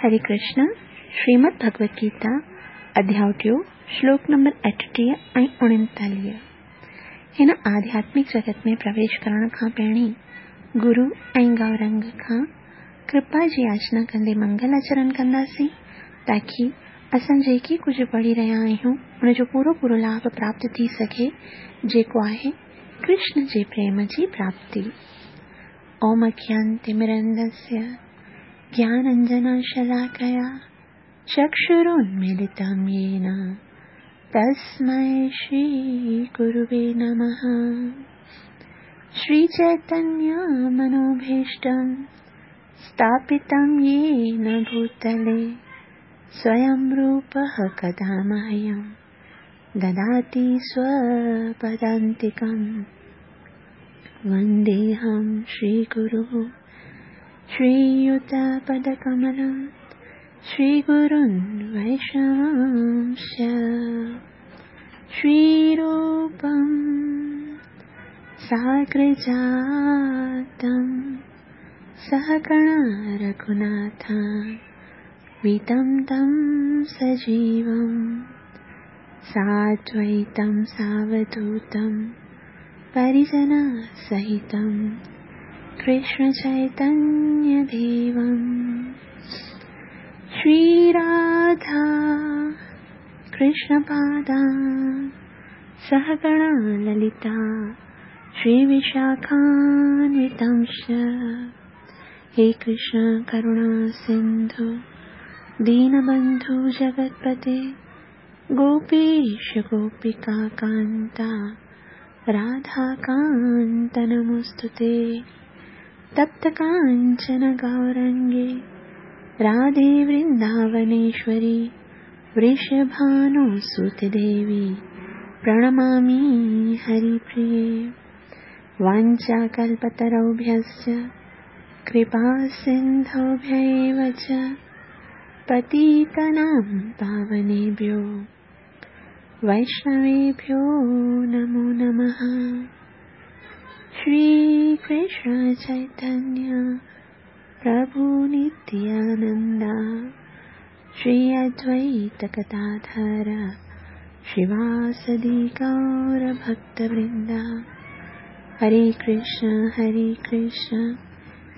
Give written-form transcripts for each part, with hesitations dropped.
हरे कृष्ण, श्रीमद् भगवद गीता, अध्याय टियों, श्लोक नंबर 38 ऐं 39। हिन आध्यात्मिक जगत में प्रवेश करण खां पहिरीं गुरु ऐं गौरंग खां कृपा जी याचना कंदे मंगल आचरण कंदासीं, ताकी असां जेके कुझु पढ़ी रहिया आहियूं उनजो पूरो पूरो लाभ प्राप्त थी सघे, जेको आहे कृष्ण जे प्रेम जी प्राप्ति। ओम अज्ञानतिमिरन्धस्य ज्ञानाञ्जनशलाकया चक्षुरुन्मीलितं येन तस्मै श्रीगुरुवे नमः। श्रीचैतन्यमनोभीष्टं स्थापितं येन भूतले स्वयं रूपः कदा मह्यं ददाति स्वपदान्तिकं। वन्देऽहं श्रीगुरुः श्रीयुतपदकमलं श्रीगुरुन् वैष्णवांश्च श्रीरूपं साग्रजातं सहगणा रघुनाथान्वितं तं सजीवं साद्वैतं सावधूतं परिजनसहितं कृष्णचैतन्यदेवं। श्रीराधा कृष्णपादा सहगणा ललिता श्रीविशाखान्वितांश्च। हे कृष्ण करुणा सिन्धु दीनबन्धु जगत्पते गोपीश गोपिका कान्ता राधाकान्त नमोऽस्तुते। तप्त काञ्चन गौरङ्गे राधे वृन्दावनेश्वरी वृषभानुसुते देवी प्रणमामि हरिप्रिये। वाञ्छाकल्पतरुभ्यश्च कृपासिन्धुभ्य एव च पतितानां पावनेभ्यो वैष्णवेभ्यो नमो नमः। श्री कृष्ण चैतन्य प्रभु नित्यानंद श्री अद्वैत गदाधर श्रीवासदि गौर भक्तवृंद। हरे कृष्ण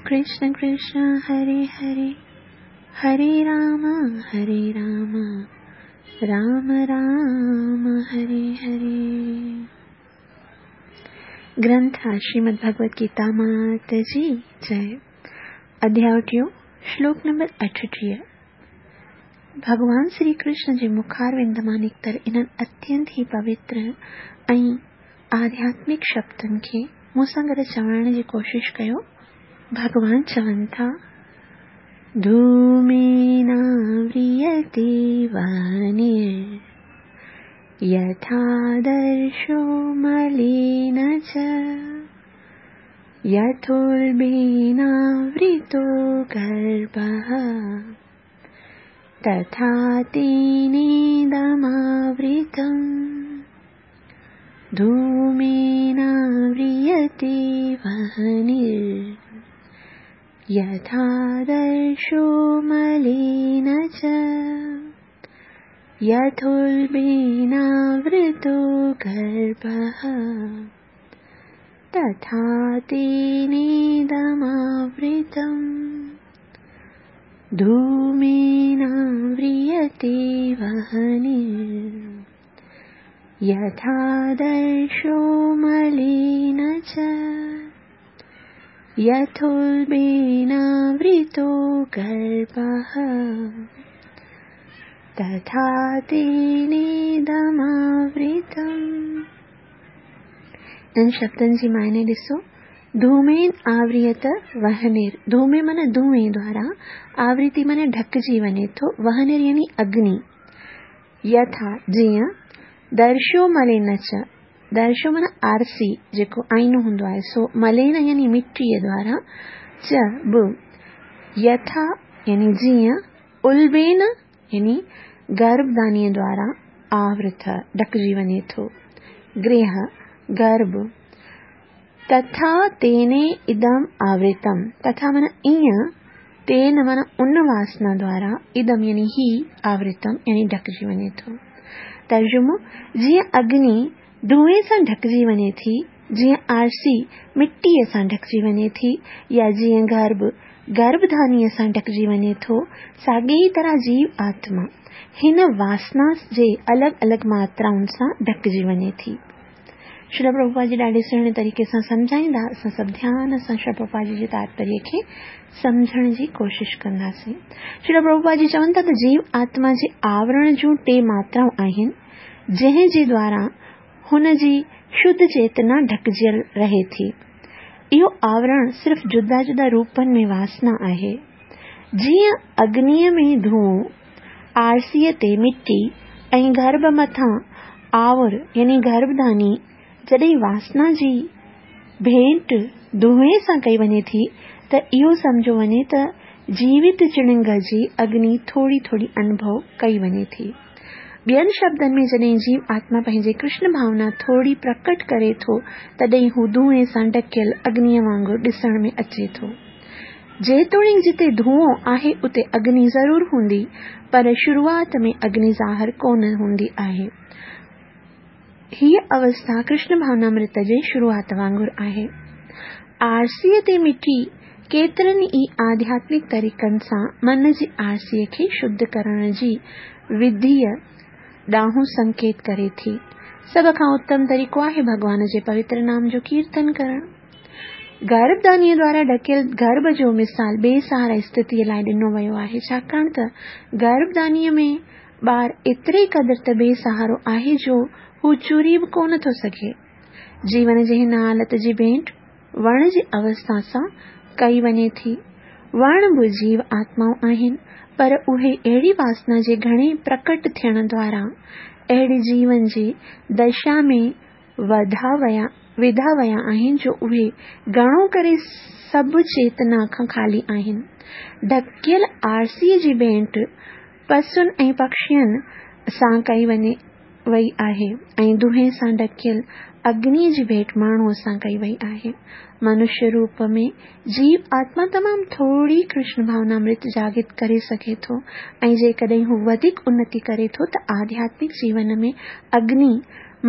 कृष्ण कृष्ण हरे हरे, हरे राम राम राम हरे हरे। ग्रंथ श्रीमद् भगवद गीता मात जी जय। अध्याय टियों, श्लोक नंबर 38। भॻवान श्री कृष्ण जे मुखारविंद मां निकितल इन्हनि अत्यंत ई पवित्र ऐं आध्यात्मिक शब्दनि खे मूं सां गॾु चवण जी कोशिश कयो। भॻवान चवनि था, धूमेनाव्रियते वह्निर्यथादर्शो मलेन च यथोल्बेनावृतो गर्भः तथा तेनेदमावृतम्। धूमेनाव्रियते वह्निर्यथादर्शो मलेन च यथोल्बेनावृतो गर्भः तथा तेनेदमावृतम्। धूमेनाव्रियते वह्निर्यथादर्शो मलेन च यथोल्बेनावृतो गर्भः तथा तेनेदमावृतम्। इन्हनि शब्दनि जी मायने ॾिसो, धूमेन आवृत वहनिर, धूमे माना धुएं द्वारा, आवृत्ति माना ढकजी वञे थो, वहनिर यानी अग्नि। यथा जीअं, दर्शो मलेन च, दर्शो माना आरसी जेको आईनो हूंदो आहे, सो मलेन यानी मिटीअ द्वारा, च ब यथा यानी जीअं, उल्बेन यानी गर्भदानीअ द्वारा आवृत ढकजी वञे थो, गृह गर्भ, तथा तेने इदम आवृतम, तथा माना ईअं, تين معنيٰ ان واسنا دوارا ادم يعني هي آورتم يعني ڍڪجي وڃي ٿو. ترجمو، جيئن اگني دونهين سان ڍڪجي وڃي ٿي، جيئن آرسي مٽيء سان ڍڪجي وڃي ٿي يا جيئن گرڀ گرڀڌانيء سان ڍڪجي وڃي ٿو، ساڳيء ئي طرح جيو آتما هن واسنا جي الڳ الڳ ماترائن سان ڍڪجي وڃي ٿي. شريل پرڀوپاد جي ڏاڍي سهڻي طريقي سان سمجهائيندا، اسان سڀ ڌيان سان شريل پرڀوپاد جي جي تاتپريه کي سمجهڻ جي ڪوشش ڪنداسين. شريل پرڀوپاد جي چون ٿا ته جيو آتما جي آورڻ جون ٽي ماترائون آهن، جنهن جي دوارا هن جي شڌ چيتنا ڍڪجيل رهي ٿي. اهو آورڻ صرف جدا جدا روپن ۾ واسنا آهي. جيئن اگنيء ۾ ڌوئون، آرسيء تي مٽي ۽ گرڀ مٿان آور يعني گرڀڌاني جڏهن واسنا جي ڀيٽ دونهين سان ڪئي وڃي ٿي ته اهو سمجهيو وڃي ته جيوت چڻنگ جي اگني ٿوري ٿوري انڀو ڪئي وڃي ٿي. ٻين شبدن ۾ جڏهن جيو آتما پنهنجي ڪرشن ڀاونا ٿوري پرڪٽ ڪري ٿو تڏهن هو دونهين سان ڍڪيل اگنيء وانگر ڏسڻ ۾ اچي ٿو. جيتوڻيڪ جتي ڌوئون آهي اتي اگني ضرور هوندي پر شروعات ۾ اگني ظاهر ڪونه هوندي آهي. هيء اوسٿا ڪرشن ڀاونامرت جي شروعات وانگر آهي. آرسيء تي مٽي ڪيترن ئي آڌياتمڪ طريقن سان من جي آرسيء کي شڌ ڪرڻ جي وڌيء ڏانهن سنڪيت ڪري ٿي. سڀ کان اتم طريقو آهي ڀڳوان جي پوتر نام جو ڪيرتن ڪرڻ. گرڀدانيء دوارا ڍڪيل گرڀ جو مثال بي سهارا استٿيء لاء ڏنو ويو آهي، ڇاڪاڻ ته گرڀدانيء ۾ ٻار ايتري قدر ته بي سهارو آهي جو هو چري به ڪونه ٿو سگهي. جيون جي هن حالت جي ڀيٽ وڻ جي اوسٿا سان ڪئي وڃي ٿي. وڻ به جيو آتمائون آهن، پر اهي اهڙي واسنا جي گهڻي پرڪٽ ٿيڻ دوارا اهڙي جيون جي دشا ۾ وڌا ويا وڌا ويا آهن جو اهي گهڻو ڪري سڀ چيتنا کان خالي آهن. ڍڪيل آرسيء جي ڀيٽ پسن ۽ پکين سان ڪئي وڃي وئي آهي ۽ دونهين سان ڍڪيل اگنيء جي ڀيٽ ماڻهوء سان ڪئي وئي آهي. منشيه روپ ۾ جيو آتما تمام ٿوري ڪرشن ڀاونامرت جاڳت ڪري سگهي ٿو ۽ جيڪڏهن هو وڌيڪ انتي ڪري ٿو ته آڌياتمڪ جيون ۾ اگني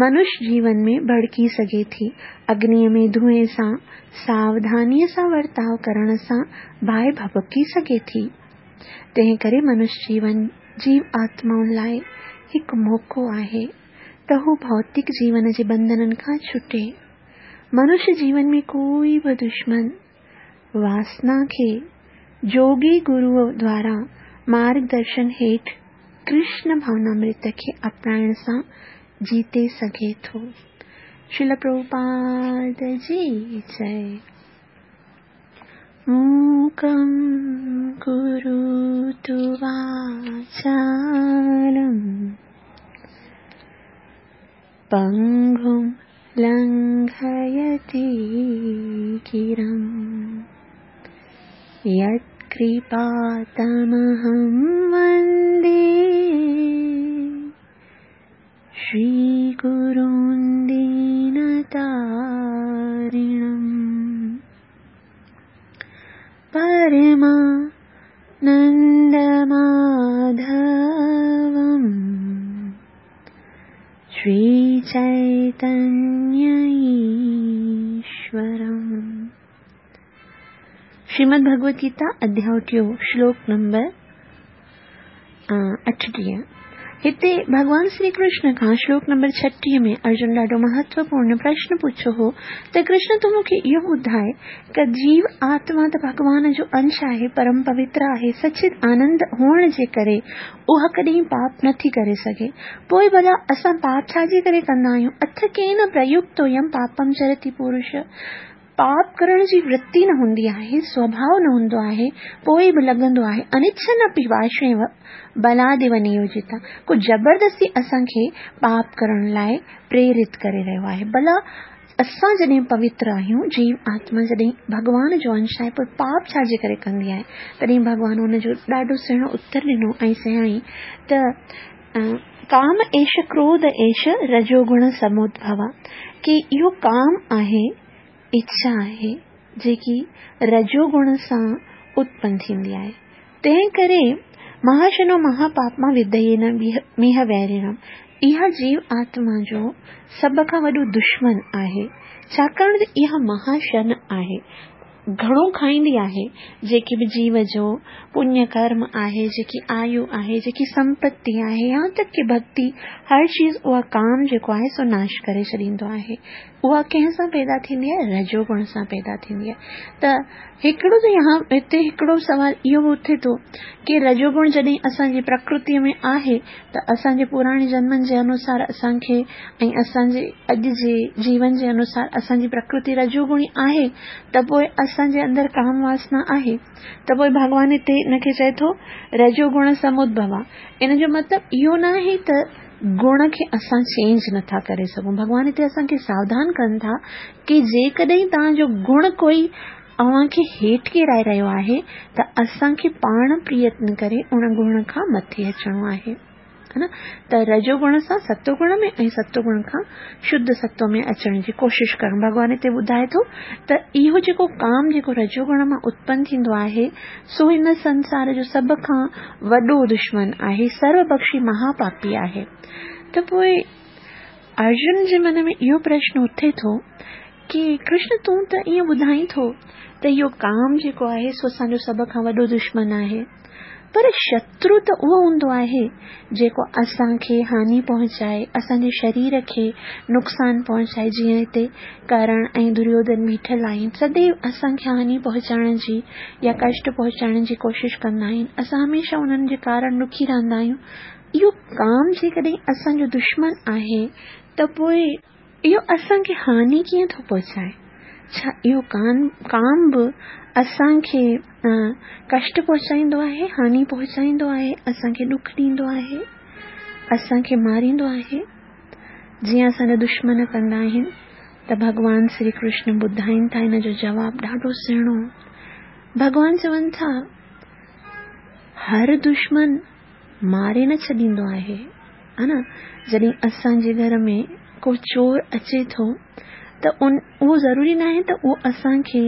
منش جيون ۾ ڀڙڪي سگهي ٿي. اگنيء ۾ دونهين سان ساوڌانيء سان ورتاء ڪرڻ سان باهه ڀڀڪي سگهي ٿي. تنهن ڪري منش جيون جيو آتمائن لاء هڪ موقعو آهي ته هو ڀوتڪ جيون جي ٻنڌنن کان ڇٽي. منش جيون ۾ ڪوئي به دشمن واسنا کي جوڳي گروء دوارا مارگدرشن هيٺ ڪرشن ڀاونامرت کي اپنائڻ سان جيتي سگهي ٿو. شريل پرڀوپاد جي جئي. موڪم ڪروتو واچالم پنگم لنگهيتي گرم يتڪرپا تمهم وندي شري گرون دينتارڻم پرما نند ماڌوم شري چيتنيه ايشورم. شريمد ڀڳوت گيتا اڌياء ٽيون شلوڪ نمبر 38. هتي ڀڳوان شري ڪرشن کان شلوڪ نمبر 36 ۾ ارجن ڏاڍو مهتوپورڻ پرشن پڇيو هو ته ڪرشن تون مون کي اهو ٻڌاء ته جيو آتما ته ڀڳوان جو انش آهي، پرم پوتر آهي، سچت آنند هئڻ جي ڪري اها ڪڏهن پاپ نه ٿي ڪري سگهي، پوء ڀلا اسان پاپ ڇا جي ڪري ڪندا آهيون؟ اٿ ڪين پريڪتويم پاپم چرتي پورش. پاپ ڪرڻ جي ورتي نه هوندي آهي، سوڀاء نه هوندو آهي، پوء به لڳندو آهي، انڇن اپي واشيو بلاديو نيوجتا، ڪو زبردستي اسان کي پاپ ڪرڻ لاء پريرت ڪري رهيو آهي. ڀلا اسان جڏهن پوتر آهيون، جيو آتما جڏهن ڀڳوان جو انش آهي، پوء پاپ ڇا جي ڪري ڪندي آهي؟ تڏهن ڀڳوان ان جو ڏاڍو سهڻو اتر ڏنو ۽ چيائين ته ڪام ايش ڪروڌ ايش رجوگڻ سمودڀوا، ڪي اهو ڪام آهي، اڇا آهي، جيڪي رجوگڻ سان اتپن ٿيندي آهي. تنهن ڪري مهاشنو مهاپاپما وديين ميهه ويريڻم اها جيو آتما جو سڀ کان وڏو دشمن آهي، ڇاڪاڻ ته اها مهاشن آهي، گهڻو کائيندي آهي، جيڪي به جيو جو پڃ ڪرم آهي، جيڪي آيو آهي، جيڪي سمپتي آهي، يهان تڪ ڪي ڀڳتي، هر چيز اها ڪام جيڪو آهي سو ناش ڪري ڇڏيندو آهي. اها ڪنهن سان پيدا ٿيندي آهي؟ رجو گڻ سان پيدا ٿيندي آهي. ته هڪڙو ته يهان هتي هڪڙو سوال اهو به اٿي ٿو ڪي رجو گڻ جڏهن اسان جي پرڪرتي ۾ آهي ته اسان جي پراڻي جنمن جي انوسار اسان کي ۽ اسان جي اڄ جي جيون جي انوسار اسان جي پرڪرتي رجو گڻي آهي ته پوء اسان جي اندر ڪام واسنا آهي ته پوء ڀڳوان هتي ان کي چئي ٿو رجو گڻ سمودڀوا ان جو مطلب اهو ناهي ته گڻ کي اسان چينج نٿا ڪري سگهون ڀڳوان هتي اسان کي ساوڌان ڪن ٿا ڪي جيڪڏهن توهان جو گڻ ڪوئي اوهان کي هيٺ ڪيرائي رهيو آهي ته اسان کي پاڻ پريتن ڪري ان گڻ کان مٿي اچڻو آهي ها نه ته رجو گڻ سان ستو گڻ ۾ ۽ ستو گڻ کان شڌ ستو ۾ اچڻ جي ڪوشش ڪرڻ ڀڳوان هتي ٻڌائي ٿو ته اهو جيڪو ڪام جيڪو رجو گڻ مان اتپن ٿيندو آهي سو هن سنسار جو سڀ کان وڏو دشمن آهي، سرو بخشي مها پاپي آهي. ته پوء ارجن جي من ۾ اهو پرشن اٿي ٿو ڪي ڪرشن تون ته ائين ٻڌائين ٿو ته اهو ڪام جيڪو آهي سو اسان جو سڀ کان وڏو دشمن آهي. پر شترو ته اهو هوندو آهي جيڪو اسان کي هاني پهچائي، اسان جي شرير کي نقصان پهچائي، جيئن هتي ڪرڻ ۽ دريوڌن بيٺل آهن، سديو اسان کي هاني پهچائڻ جي يا ڪشٽ پهچائڻ جي ڪوشش ڪندا آهن، اسان هميشه انهن جي ڪارڻ ڏکي رهندا آهيون. اهو ڪام جيڪڏهن اسان جو دشمن آهي ته پوء اهو اسان کي هاني ڪيئن ٿو پهچائي؟ ڇا اهو ڪام به اسان کي ڪشٽ پهچائيندو آهي، هاني پهچائيندو آهي، اسان کي ڏک ڏيندو آهي، اسان کي ماريندو آهي؟ جيئن اسان جا دشمن ڪندا آهن ته ڀڳوان شري ڪرشن ٻڌائين ٿا ان جو جواب ڏاڍو سهڻو. ڀڳوان چون ٿا هر دشمن ماري نه ڇڏيندو آهي ها نه جڏهن اسان جي گهر ۾ ڪو چور اچي ٿو ته ان اهو ضروري ناهي ته اهو اسان کي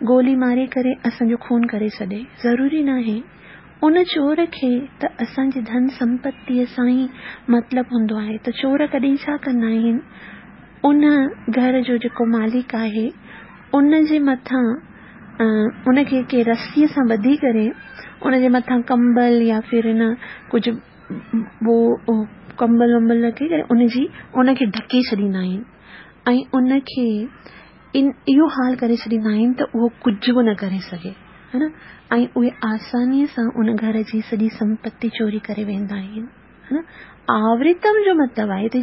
گولي ماري ڪري اسان جو خون ڪري ڇڏي ضروري ناهي ان چور کي ته اسان جي ڌن سمپتيء سان ئي مطلب هوندو آهي ته چور ڪڏهن ڇا ڪندا آهن ان گهر جو جيڪو مالڪ آهي ان جي مٿان ان کي ڪنهن رسيء سان ٻڌي ڪري ان جي مٿان ڪمبل يا ڦر نه ڪجهه ٻو ڪمبل ومبل رکي ڪري ان جي ان کي ڍڪي ڇڏيندا آهن ۽ ان کي ان اهو حال ڪري ڇڏيندا آهن ته اهو ڪجهه به نه ڪري سگهي ها نه ۽ اهي آسانيء سان ان گهر جي سڄي سمپتي چوري ڪري ويندا آهن ها نه آورتم جو مطلب آهي هتي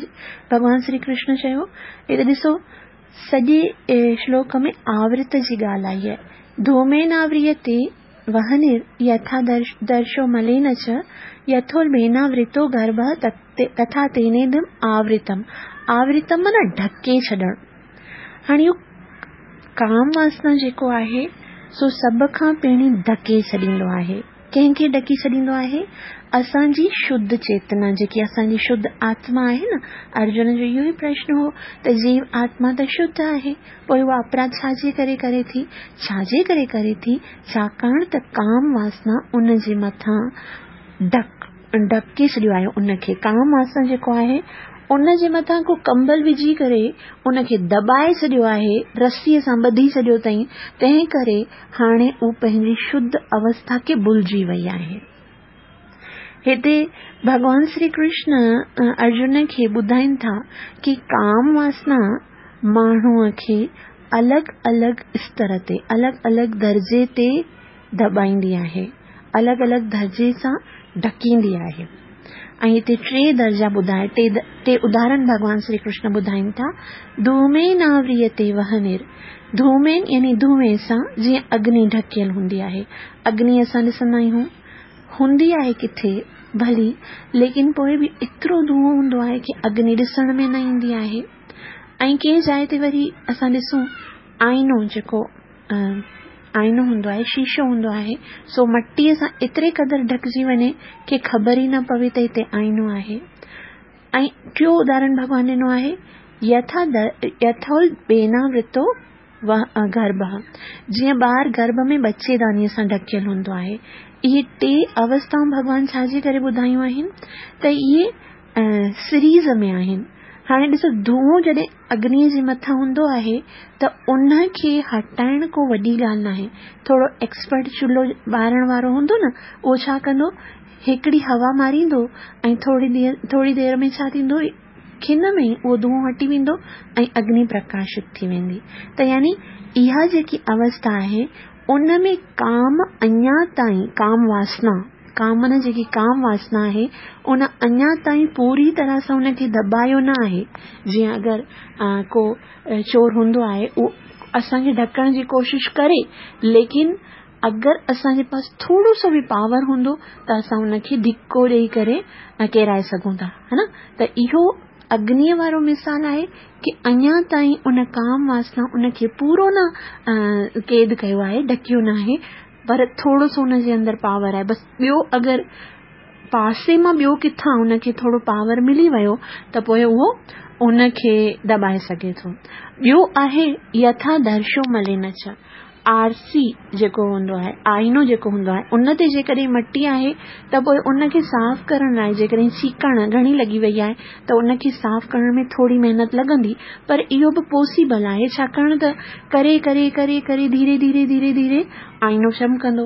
ڀڳوان شري ڪرشن چيو هتي ڏسو سڄي شلوڪ ۾ آورت جي ڳالهه آئي آهي. ڌومين آوريتي وهنر يٿا درشو ملين چ يٿولڀيناورتو گرڀه تٿا تينيدم آورتم. آورتم معنيٰ ڍڪي ڇڏڻ. هاڻي اهو ڪام واسنا جيڪو آهي سو سڀ کان پهرين ڍڪي ڇڏيندو آهي. ڪنهن کي ڍڪي ڇڏيندو آهي؟ اسان جي شڌ چيتنا، جيڪي اسان جي شڌ آتما آهي نه؟ ارجن جو اهو ئي پرشن هو ته جيو آتما ته شڌ آهي، پوء اها اپراڌ ڇا جي ڪري ڪري ٿي؟ ڇا جي ڪري ڪري ٿي؟ ڇاڪاڻ ته ڪام واسنا ان جي مٿان ڍڪ ڍڪي ڇڏيو آهي ان کي ڪام واسنا جيڪو آهي ان جي مٿان ڪو ڪمبل وجهي ڪري ان کي دٻائي ڇڏيو آهي، رسيء سان ٻڌي ڇڏيو اٿائين، تنهن ڪري هاڻي هو پنهنجي شڌ اوسٿا کي ڀلجي وئي آهي. هتي ڀڳوان شري ڪرشن ارجن کي ٻڌائين ٿا ڪي ڪام واسنا ماڻهوء کي الڳ الڳ استر تي، الڳ الڳ درجي تي دٻائيندي آهي، الڳ الڳ درجي سان ڍڪيندي آهي ۽ هتي ٽي درجا ٻڌائي ٽي ٽي اداهرن ڀڳوان شري ڪرشن ٻڌائين ٿا ڌومين آوريتي وهنر ڌومين يعني ڌوئين سان جيئن اگني ڍڪيل هوندي آهي اگني اسان ڏسندا آهيون هوندي آهي ڪٿي ڀلي ليڪن پوء به ايترو ڌوئون هوندو آهي ڪي اگني ڏسڻ ۾ نه ايندي آهي ۽ ڪنهن جاء تي وري اسان ڏسون آئينو جيڪو آئينو هوندو آهي، شيشو هوندو آهي، سو مٽيء سان ايتري قدر ڍڪجي وڃي ڪي خبر ئي نه پوي ته هتي آئينو آهي. ۽ ٽيون اداهرڻ ڀڳوان ڏنو آهي، يٿا يٿولبيناورتو گرڀه، جيئن ٻار گرڀ ۾ ٻچيدانيء سان ڍڪيل هوندو آهي. اهي ٽي اوستائون ڀڳوان ڇا جي ڪري ٻڌايون آهن ته اهي سيريز ۾ آهن. هاڻي ڏسو دونهون جڏهن اگنيء جي مٿان هوندو آهي ته ان کي هٽائڻ ڪو وڏي ڳالهه ناهي. ٿورو ايڪسپرٽ چلهو ٻارڻ وارو هوندو نه اهو ڇا ڪندو هڪڙي هوا ماريندو ۽ ٿوري دير ٿوري دير ۾ ڇا ٿيندو کن ۾ ئي اهو دونهون هٽي ويندو ۽ اگني پرڪاشت ٿي ويندي ته يعني اها جيڪي اوسٿا آهي ان ۾ ڪام اڃا تائين ڪام واسنا، ڪامن جيڪي ڪام واسنا آهي، ان اڃا تائين پوري طرح سان ان کي دٻايو نه آهي. جيئن اگر ڪو چور هوندو آهي، اهو اسان کي ڍڪڻ جي ڪوشش ڪري، ليڪن اگر اسان جي پاس ٿورو سو به پاور هوندو ته اسان ان کي ڌڪو ڏيئي ڪري ڪيرائي سگهون ٿا، ها نه؟ ته اهو اگنيء وارو مثال آهي ڪي اڃا تائين ان ڪام واسنا ان کي پورو نه قيد ڪيو آهي، ڍڪيو ناهي، پر ٿورو سو ان جي اندر پاور آهي، بس ٻيو اگر پاسي مان ٻيو ڪٿان ان کي ٿورو پاور ملي ويو ته پوء اهو ان کي دٻائي سگهي ٿو. ٻيو آهي يٿا درشو ملين چ. آرسي جيڪو هوندو آهي، آئينو جيڪو هوندو آهي، ان تي جيڪڏهن مٽي آهي ته پوء ان کي صاف ڪرڻ لاء جيڪڏهن چيڪاڻ گهڻي لڳي وئي آهي ته ان کي صاف ڪرڻ ۾ ٿوري محنت لڳندي پر اهو به پوسيبل آهي ڇاڪاڻ ته ڪري ڪري ڪري ڪري ڌيري ڌيري ڌيري ڌيري آئينو چمڪندو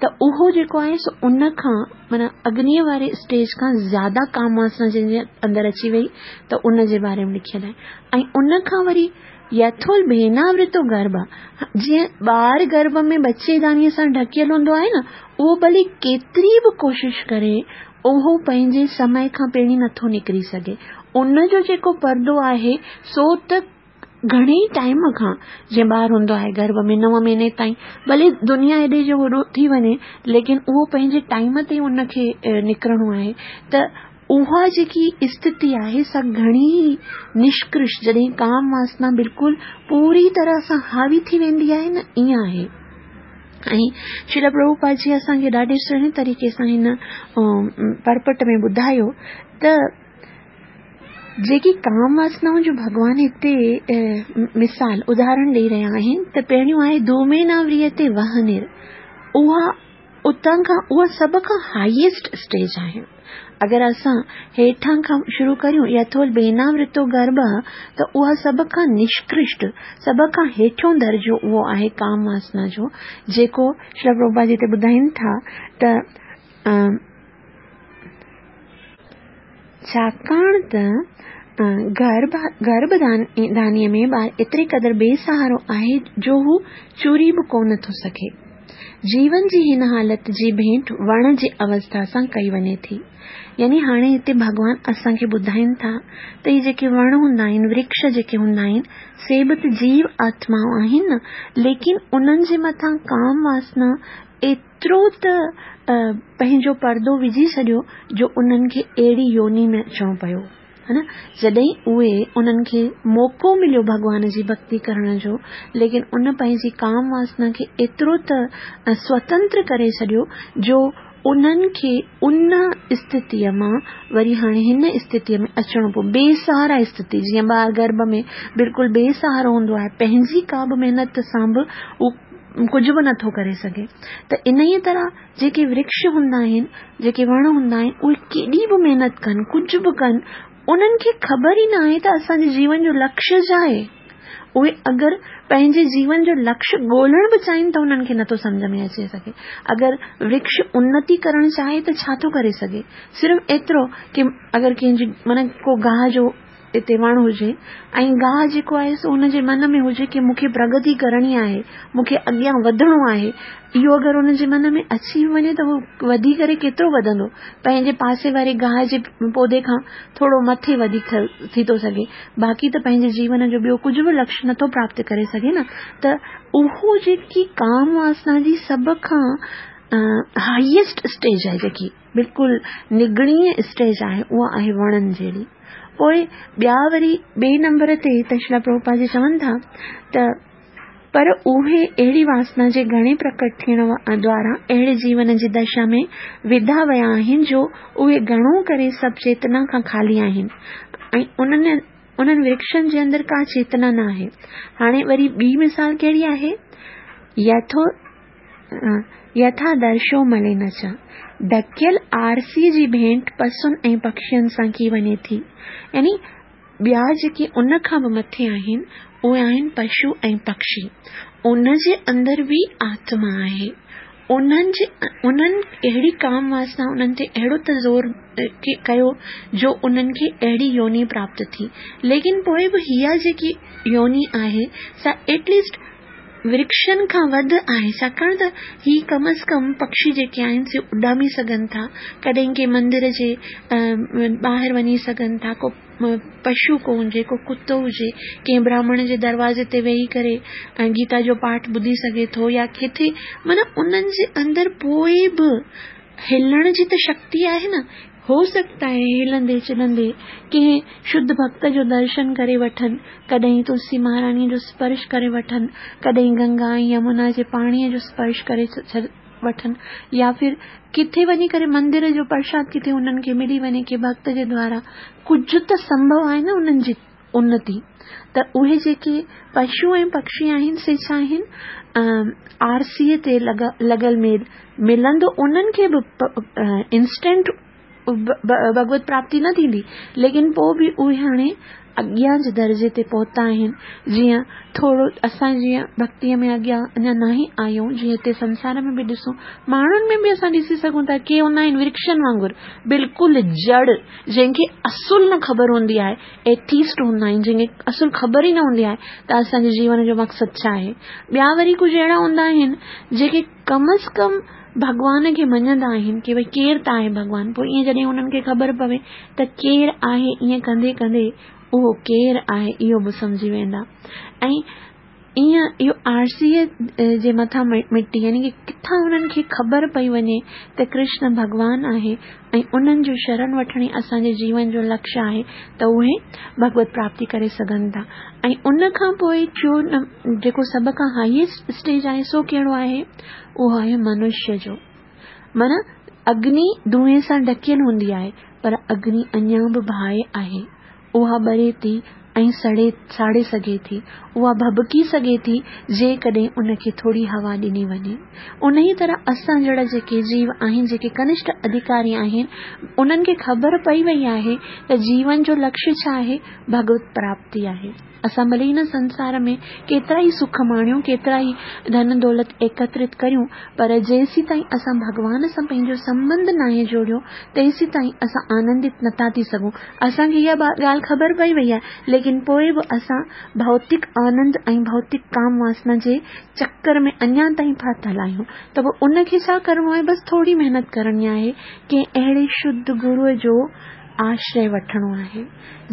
ته اهو جيڪو آهي سو ان کان معنيٰ اگنيء واري اسٽيج کان زياده ڪام واسنا جنهن جي اندر اچي وئي ته ان جي باري ۾ لکيل آهي ۽ ان کان وري يٿول ڀيناورتو گرڀ، جيئن ٻار گرڀ ۾ ٻچي دانيء سان ڍڪيل هوندو آهي نه، اهو ڀلي ڪيتري به ڪوشش ڪري، اهو پنهنجي سمي کان پهرين نٿو نڪري سگهي. ان جو جيڪو پردو آهي، سو ته گهڻي ٽائيم کان، جيئن ٻار هوندو آهي گرڀ ۾ نو مهيني تائين، ڀلي دنيا ايڏي جو وڏو ٿي وڃي، ليڪن اهو پنهنجي ٽائيم تي ان کي نڪرڻو آهي ته اها جيڪي اسٿتي آهي سا گهڻي ئي نشڪرش جڏهن ڪام واسنا بلڪل پوري طرح سان حاوي ٿي ويندي آهي نه ائين آهي ۽ شريل پرڀوپاد جي اسان کي ڏاڍي سهڻي طريقي سان هن پرپٽ ۾ ٻڌايو ته جيڪي ڪام واسنائون جو ڀڳوان هتي مثال اداهرڻ ڏيئي رهيا آهن ته پهريون آهي ڌوميناوريتي وهنر اها اتان کان اها سڀ کان هائيسٽ اسٽيج آهي. اگر اسان هيٺان کان شروع ڪريون يٿول بيناورتو گرڀ ته اها سڀ کان نشڪرشٽ، سڀ کان هيٺيون درجو اهو آهي ڪام واسنا جو جيڪو شريل پرڀوپاد هتي ٻڌائين ٿا ته ڇاڪاڻ ته گرڀ دانيء ۾ ٻار ايتري قدر بي سهارو آهي جو هو چري به ڪونه ٿو سگهي. جيون جي هن حالت جي ڀيٽ وڻ جي اوسٿا سان ڪئي وڃي ٿي. يعني هاڻي هتي ڀڳوان اسان کي ٻڌائين ٿا ته هي جيڪي وڻ هوندا آهن، ورڪش جيڪي هوندا آهن، سي به ته جيو آتمائون آهن نه، ليڪن انهن جي مٿان ڪام واسنا ايترو ته پنهنجو پردو وجهي ڇڏيو جو انهن کي اهڙي يوني ۾ اچڻو پيو. ها نه جڏهن اهي انهن کي موقعو مليو ڀڳوان جي ڀڳتي ڪرڻ جو ليڪن ان پنهنجي ڪام واسنا کي ايترو ته سوتنتر ڪري ڇڏيو جو انهن کي ان استٿيء مان وري هاڻي هن استٿيء ۾ اچڻو پيو بي سهارا استٿي جيئن ٻار گرڀ ۾ بلڪل بي سهارو هوندو آهي پنهنجي ڪا به محنت سان به هو ڪجهه به نٿو ڪري سگهي ته انهيء طرح جيڪي ورڪش هوندا آهن، جيڪي وڻ هوندا آهن، اهي ڪيڏي به محنت ڪن، ڪجهه به ڪن، انهن کي خبر ئي نه آهي ته اسان جي جيون جو لڪشيه ڇا آهي. اهي اگر پنهنجي جيون جو لڪشيه ڳولڻ به چاهين ته انهن کي نٿو سمجهه ۾ اچي سگهي. اگر ورڪش انتي ڪرڻ چاهي ته ڇا ٿو ڪري سگهي؟ صرف ايترو ڪي اگر ڪنهن جي معنيٰ ڪو گاهه جو اتي وڻ هجي ۽ گاهه جيڪو آهي سو ان جي من ۾ هجي ڪي مون کي پرگتي ڪرڻي آهي، مون کي اڳيان وڌڻو آهي، اهو اگر ان جي من ۾ اچي به وڃي ته هو وڌي ڪري ڪيترو وڌندو؟ پنهنجي پاسي واري گاهه جي پودي کان ٿورو مٿي وڌيڪ ٿي ٿو سگهي، باقي ته پنهنجي جيون جو ٻيو ڪجهه به لڪشيه نٿو پراپت ڪري سگهي نه ته اهو جيڪي ڪام واسنا جي سڀ کان هائيسٽ اسٽيج آهي جيڪي. بلڪل نگڻي اسٽيج آهي اها آهي وڻن جهڙي. پوء ٻيا وري ٻئي نمبر تي ته شريلا پرڀوپاد جي چون ٿا ته پر اهي اهڙي واسنا جي گهڻي پرڪٽ ٿيڻ دوارا اهڙي جيون جي دشا ۾ وڌا ويا آهن جو اهي گهڻو ڪري سڀ چيتنا کان خالي آهن ۽ انهن انهن ورڪشن جي اندر ڪا چيتنا نه آهي. هاڻي وري ٻي مثال ڪهڙي آهي؟ يٿو يٿا درشو ملين چ، ڍڪيل آرسيء جي ڀينٽ پسن ۽ پکين سان ڪئي وڃي ٿي. يعني ٻيا جيڪي ان کان به مٿي آهن، اهي آهن پشو ۽ پکشي. ان جي اندر به آتما آهي. انهن جي انهن اهڙي ڪام واسنا انهن تي اهڙو ته زور ڪيو جو انهن کي اهڙي يوني پراپت ٿي. ليڪن پوء به اها جيڪي يوني آهي سا ايٽ ليسٽ ورڪشن کان وڌ آهي ڇاڪاڻ ته هي ڪم از ڪم پکشي جيڪي آهن سي اڏامي سگهن ٿا ڪڏهن ڪنهن مندر جي ٻاهر وڃي سگهن ٿا ڪو پشو ڪو هجي ڪو ڪتو هجي ڪنهن براهمڻ جي دروازي تي ويهي ڪري گيتا جو پاٺ ٻڌي سگهي ٿو يا ڪٿي معنيٰ انهن جي اندر پوء به هلڻ جي ته شڪتي آهي نه. هو سگهتا آهي هلندي چلندي ڪنهن شڌ ڀڳت جو درشن ڪري وٺن، ڪڏهن تلسي مهاراڻيء جو سپرش ڪري وٺن، ڪڏهن گنگا ۽ يمنا جي پاڻيء جو سپرش ڪري وٺن يا ڦر ڪٿي وڃي ڪري مندر جو پرشاد ڪٿي انهن کي ملي وڃي ڪنهن ڀڳت جي دوارا ڪجهه ته سنڀو آهي نه انهن جي انتي ته اهي جيڪي پشو ۽ پکشي آهن سي ڇا آهن آرسيء تي لڳل ميل ملندو انهن کي به انسٽنٽ ڀڳوت پراپتي نه ٿيندي ليڪن پوء به اهي هاڻي اڳيان جي درجي تي پهتا آهن جيئن ٿورو اسان جيئن ڀڳتيء ۾ اڳيان اڃا ناهي آيون جيئن هتي سنسار ۾ به ڏسون ماڻهن ۾ به اسان ڏسي سگهون ٿا ڪي هوندا آهن ورڪشن وانگر بلڪل جڙ جنهن کي اصل نه خبر هوندي آهي، Atheist هوندا آهن، جنهن کي اصل خبر ئي نه هوندي آهي ته اسان جي جيون جو مقصد ڇا آهي. ٻيا وري ڪجهه اهڙا هوندا آهن جيڪي ڪم از ڪم ڀڳوان کي مڃندا آهن ڪي ڀئي ڪير ته آهي ڀڳوان پوء ائين جڏهن انهن کي خبر پوي ته ڪير آهي ائين ڪندي ڪندي اهو ڪير آهي اهو به سمجهي ويندا ۽ ايئن اهو آرسيء جي مٿان مٽي يعني ڪه ڪٿان انهن کي خبر پئي وڃي ته ڪرشن ڀڳوان آهي ۽ انهن جو شرڻ وٺڻ ئي اسان جي جيون جو لڪشيه آهي ته اهي ڀڳوت پراپتي ڪري سگهن ٿا ۽ ان کان پوء ٽيون جيڪو سڀ کان هائيسٽ اسٽيج آهي سو ڪهڙو آهي اهو آهي منشيه جو معنيٰ اگني دونهين سان ڍڪيل هوندي آهي پر اگني اڃا به باهه آهي اها ٻري ٿي ۽ سڙي ساڙي سگهي ٿي. اها ڀڀڪي سگهي ٿي جيڪڏهن ان کي ٿوري هوا ڏني وڃي. انهيء طرح اسان جهڙا جيڪي جيو آهن، جيڪي ڪنشٺ اڌڪاري آهن، انهن کي خبر پئي وئي آهي ته جيون جو لڪشيه ڇا آهي؟ ڀڳوت پراپتي آهي. اسان ڀلي هن سنسار ۾ ڪيترا ئي سک ماڻيون، ڪيترا ئي ڌن دولت ايڪترت ڪريون، پر جيسيتائين اسان ڀڳوان سان پنهنجو سنٻنڌ ناهي جوڙيو، تيسيتائين اسان آنندت نٿا ٿي سگهون. اسان کي اها ڳالهه خبر پئي وئي آهي، ليڪن پوء به اسان ڀوتڪ آنند ۽ ڀوتڪ ڪام واسنا جي چڪر ۾ اڃا تائين ڦاٿل آهيون. ته پوء ان کي ڇا ڪرڻو آهي؟ بس ٿوري محنت ڪرڻي آهي، ڪنهن اهڙي شڌ گروء جو آشريه وٺڻو آهي.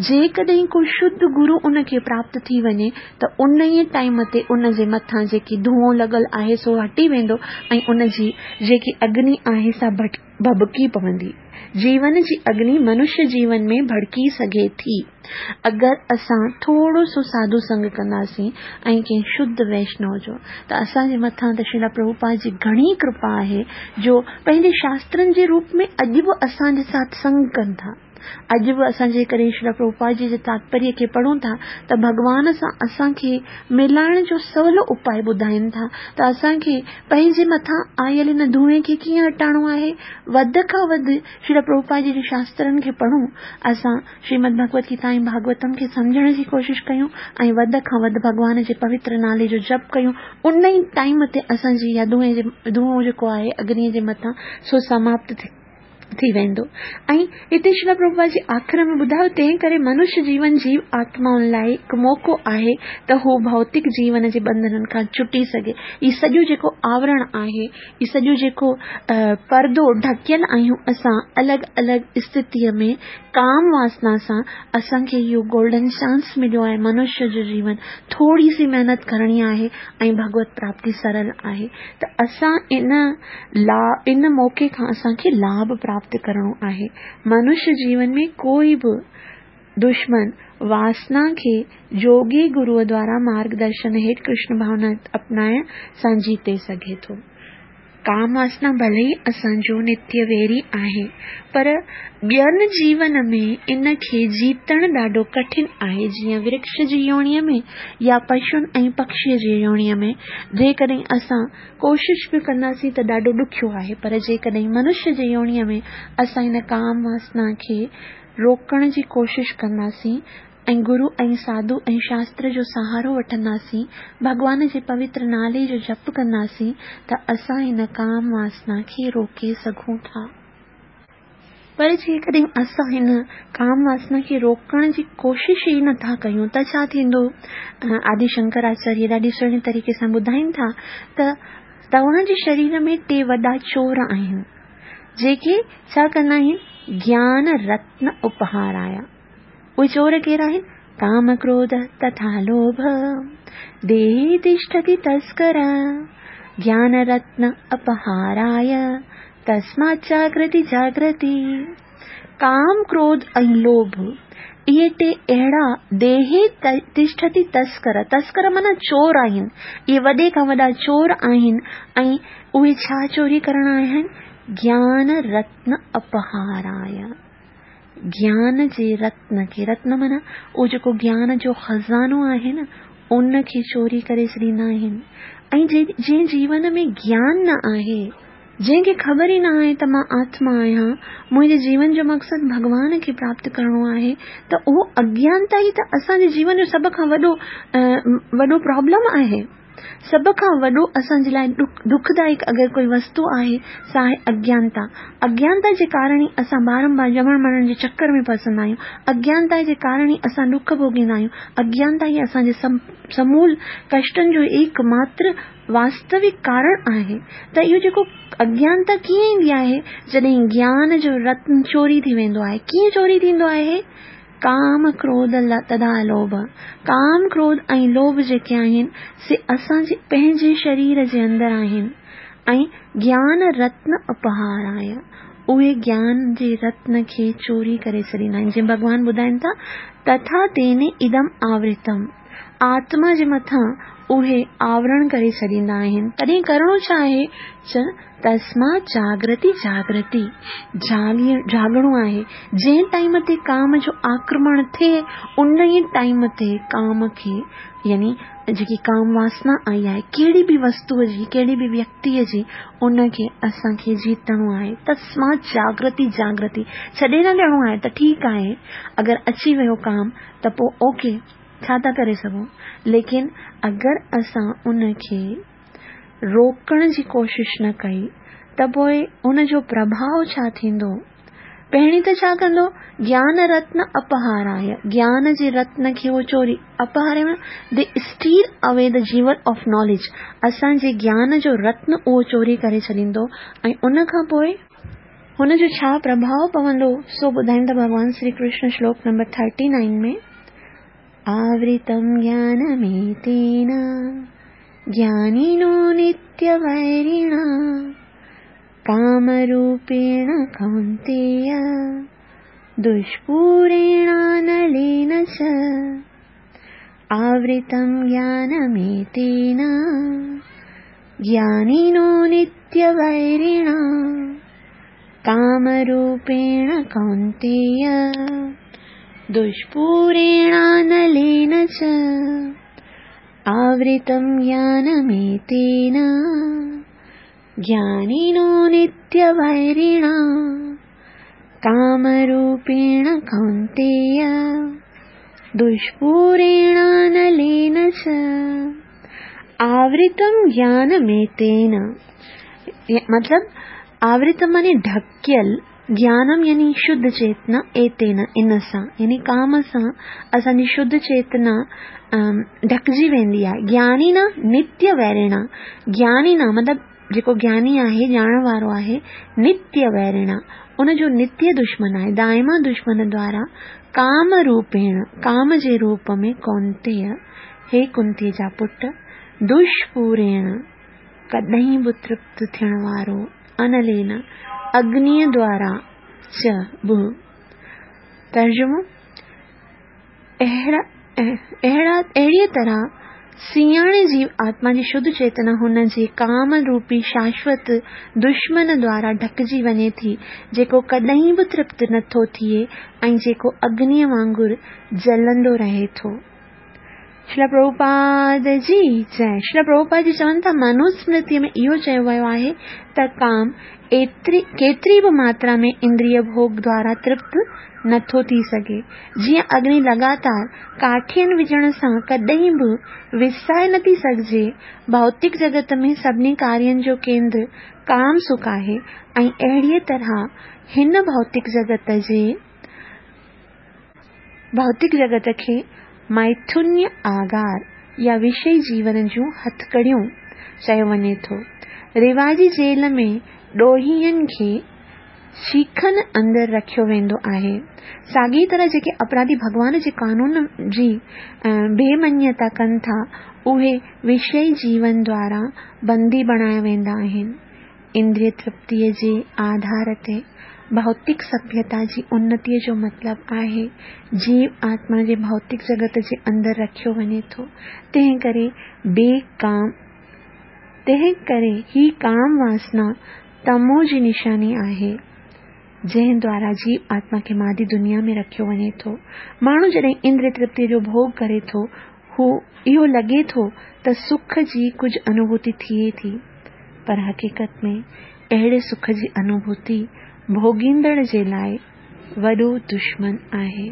جيڪڏهن ڪو شڌ گرو ان کي پراپت ٿي وڃي ته انهيء ٽائيم تي ان جي مٿان جيڪي ڌوئون لڳل آهي سو هٽي ويندو ۽ ان جي جيڪي اگني آهي سا ڀڀڪي پوندي. جيون جي اگني منشيه جيون ۾ ڀڙڪي سگهي ٿي. اگر اسان ٿورو سو ساڌو سنگ ڪنداسين ۽ ڪنهن شڌ ويشنو جو ته اسان جي مٿان ته شريلا پرڀوپاد جي گهڻي ڪرپا آهي جو پنهنجي شاسترن جي روپ ۾ اڄ به اسان جي ساٿ سنگ ڪن ٿا. اڄ به اسان جيڪڏهن شريلا پرڀوپاد جي جي تاتپريه کي پڙهون ٿا ته ڀڳوان سان اسان کي ملائڻ جو سولو اپاء ٻڌائين ٿا ته اسان کي پنهنجي مٿان آيل هن ڌوئين کي ڪيئن هٽائڻو آهي. وڌ کان وڌ شريلا پرڀوپاد جي جي شاسترن کي پڙهون، اسان شريمد ڀڳوت گيتا ۽ ڀاڳوتم کي سمجهڻ جي ڪوشش ڪيون ۽ وڌ کان وڌ ڀڳوان جي پوتر نالي جو جپ ڪيون ان ئي ٽائيم تي اسان جي اها ڌوئين جي ڌوئون جيڪو آهي اگني جي مٿان سو سماپت ٿي ٿي ويندو ۽ هتي شريلا پرڀوپاد جي آخر ۾ ٻڌايو تنهن ڪري منش جيون جيو آتمائن لاء هڪ موقعو آهي ته هو ڀوتڪ جيون جي ٻنڌنن کان ڇٽي سگهي هي سڄو جيڪو آورڻ آهي هي سڄو جيڪو پردو ڍڪيل آهيون اسان الڳ الڳ استٿيء ۾ ڪام واسنا سان اسان کي اهو گولڊن چانس مليو آهي منشيه جو جيون ٿوري سي محنت ڪرڻي آهي ۽ ڀڳوت پراپتي سرل آهي ته اسان ان لا ان موقعي کان اسان کي لاڀ پراپت ڪرڻو آهي منشيه جيون ۾ ڪوئي به دشمن واسنا کي جوڳي گروء دوارا مارگ درشن هيٺ ڪرشن ڀاونا اپنائڻ سان جيتي سگهي ٿو. ڪام واسنا ڀلي ئي اسان جو نتيه ويري آهي، پر ٻين جيون ۾ ان کي جيتڻ ڏاڍو ڪٺن آهي، جيئن ورڪش جي يوڻيء ۾ يا پشن ۽ پکشيء جي يوڻيء ۾ جيڪڏهن اسان ڪوشش به ڪنداسين ته ڏاڍو ڏکيو آهي، پر جيڪڏهن منش جي يوڻيء ۾ اسان ان ڪام واسنا کي روڪڻ جي ڪوشش ڪنداسين ۽ گرو ۽ ساڌو ۽ شاستر جو سهارو وٺنداسين، ڀڳوان جي پوتر نالي جو جپ ڪنداسين ته اسان ان ڪام واسنا کي روڪي سگهون ٿا. پر جيڪڏهن اسان هن ڪام واسنا کي روڪڻ جي ڪوشش ئي نه ٿا ڪيون ته ڇا ٿيندو؟ آدي شنڪراچاريه ڏاڍي سهڻي طريقي سان ٻڌائين ٿا ته توهان جي شرير ۾ ٽي وڏا چور آهن، جيڪي ڇا ڪندا آهن؟ گيان رتن اپهارايا. اهي چور ڪير آهن؟ ڪام ڪروڌ تٿا لوڀ، ديهي تشٺتي تسڪر، گيان رتن اپهاراي، تسمات جاگرتي جاگرتي. ڪام ڪروڌ ۽ لوڀ اهي ٽي اهڙا ديهي تشٺتي تسڪر، تسڪر معنيٰ چور آهن، اهي وڏي کان وڏا چور آهن ۽ اهي ڇا چوري ڪرڻ آيا آهن؟ گيان رتن اپهاراي. گيان جي رتن کي، رتن معنيٰ اهو جيڪو گيان جو خزانو آهي نه، ان کي چوري ڪري ڇڏيندا آهن ۽ جنهن جيون ۾ گيان نه آهي، جنهن کي خبر ئي نه آهي ته مان آتما آهيان، منهنجي جيون جو مقصد ڀڳوان کي پراپت ڪرڻو آهي ته اهو اگيانتا ئي ته اسان جي جيون جو سڀ کان وڏو وڏو پرابلم آهي. سڀ کان وڏو اسان جي لاء دکدائڪ اگر ڪوئي وستو آهي سا آهي اگيانتا. اگيانتا جي ڪارڻ ئي اسان بارنبار ڄمڻ مرڻ جي چڪر ۾ ڦسندا آهيون. اگيانتا جي ڪارڻ ئي اسان ڏک ڀوڳيندا آهيون. اگيانتا ئي اسان جي سمول ڪشٽن جو ايڪ ماتر واستوڪ ڪارڻ آهي. ته اهو جيڪو اگيانتا ڪيئن ايندي آهي؟ جڏهن گيان جو رتن چوري ٿي ويندو آهي. ڪيئن چوري ٿيندو آهي؟ ڪام، ڪروڌ، تٿا لوڀ، ڪام، ڪروڌ ۽ لوڀ جيڪي آهن، سي اسان جي پنهنجي شرير جي اندر آهن ۽ گيان رتن اپهاراي، اهي گيان جي رتن کي چوري ڪري ڇڏيندا آهن، جيئن ڀڳوان ٻڌائين ٿا، تٿا تين ادم آورتم، آتما جي مٿان اهي آورڻ ڪري ڇڏيندا آهن، تڏهن ڪرڻو ڇا آهي؟ تسمات جاگرتي جاگرتي، جاڳڻو آهي، جنهن ٽائيم تي ڪام جو آڪرمڻ ٿئي ان ئي ٽائيم تي ڪام کي يعني جيڪي ڪام واسنا آئي آهي ڪهڙي به وستوء جي ڪهڙي به ويڪتيء جي ان کي اسان کي جيتڻو آهي تسمات جاگرتي جاگرتي ڇڏي نه ڏيڻو آهي ته ٺيڪ آهي اگر اچي ويو ڪام ته پوء اوڪي ڇا ٿا ڪري سگهون ليڪن اگر اسان ان کي روڪڻ جي ڪوشش نه ڪئي ته پوء ان جو پرڀاء ڇا ٿيندو؟ پهرين ته ڇا ڪندو؟ گيان رتن اپهاراي، گيان جي رتن کي هو چوري، اپهاري معنيٰ They steal away the jewel of knowledge، اسان جي گيان جو رتن اهو چوري ڪري ڇڏيندو ۽ ان کان پوء هن جو ڇا پرڀاء پوندو سو ٻڌائين ٿا ڀڳوان شري ڪرشن شلوڪ نمبر ٿرٽي نائن ۾. آورتم گيانميتين گيانينو نتيه ويريڻا ڪامروپيڻ ڪونتيي دشپوريڻانلين چ آورتم گيانميتين گيانينو نتيه ويريڻا ڪامروپيڻ ڪونتيي دشپوريڻانلين چ آورتم گيانميتين گيانينو نتيه ويريڻا ڪامروپيڻ ڪونتيي دشپوريڻانلين چ آورتم گيانميتين مطلب آورتم معني ڍڪيل، گيانم يعني شڌ چيتنا، ايتين ان سان يعني ڪام سان اسان جي شڌ چيتنا ڍڪجي ويندي آهي. گيانينا نتيه ويريڻا، گيانينا مطلب جيڪو گياني آهي، ڄاڻڻ وارو آهي، نتيه ويريڻا ان جو نتيه دشمن آهي، دائما دشمن دوارا ڪام روپيڻ، ڪام جي روپ ۾ ڪونتيه، هي ڪنتي جا پٽ، دشپوريڻ، ڪڏهن به ترپت ٿيڻ وارو انلين، اگنيء دوارا، چ، به. ترجمو، اهڙيء طرح سياڻي جيو آتما جي شڌ چيتنا هن جي ڪام روپي شاشوت دشمن دوارا ڍڪجي وڃي ٿي، جيڪو ڪڏهن به ترپت نه ٿو ٿئي ۽ جيڪو اگنيء وانگر جلندو رهي ٿو. شريلا پرڀوپاد جي جئه. شريلا پرڀوپاد جي چون ٿا منوسمرتيء ۾ اهو چيو ويو آهي ته ڪام ايتري ڪيتري به ماترا ۾ اندريه ڀوڳ دوارا ترپت نه ٿو ٿي سگهي. جيئن اگني لڳاتار ڪاٺين وجهڻ سان ڪڏهن به وسائي نه ٿي سگهجي. ڀوتڪ جڳت ۾ سڀني ڪارين جو ڪيندر ڪام سک آهي ۽ اهڙيء طرح هن ڀوتڪ جڳت جي ڀوتڪ جڳت کي ميٿنيه آگار يا وشئي جيون جون هٿڪڙيون چيو وڃي ٿو. رواجي جيل ۾ ڏوهين کي شيخن اندر رکيو ويندو آهي. ساڳيء طرح جيڪي اپراڌي ڀڳوان جي قانون جي بي مڃتا ڪن ٿا، اهي وشئي جيون دوارا بندي بڻايا ويندا آهن. اندريه ترپتيء جي آڌار تي ڀوتڪ سڀيتا جي انتيء جو مطلب آهي جيو آتما جي ڀوتڪ جڳت جي اندر رکيو وڃي ٿو، تنهن ڪري بي ڪام تنهن ڪري هي ڪام واسنا تمو جي نشاني آهي، جنهن دوارا جيو آتما کي مادي دنيا ۾ رکيو وڃي ٿو. ماڻهو جڏهن اندريه ترپتيء جو ڀوڳ ڪري ٿو، هو اهو لڳي ٿو ته سک جي ڪجهه انوڀوتي ٿئي ٿي، پر حقيقت ۾ اهڙي سک جي انوڀوتي ڀوڳيندڙ جي لاء وڏو دشمن آهي.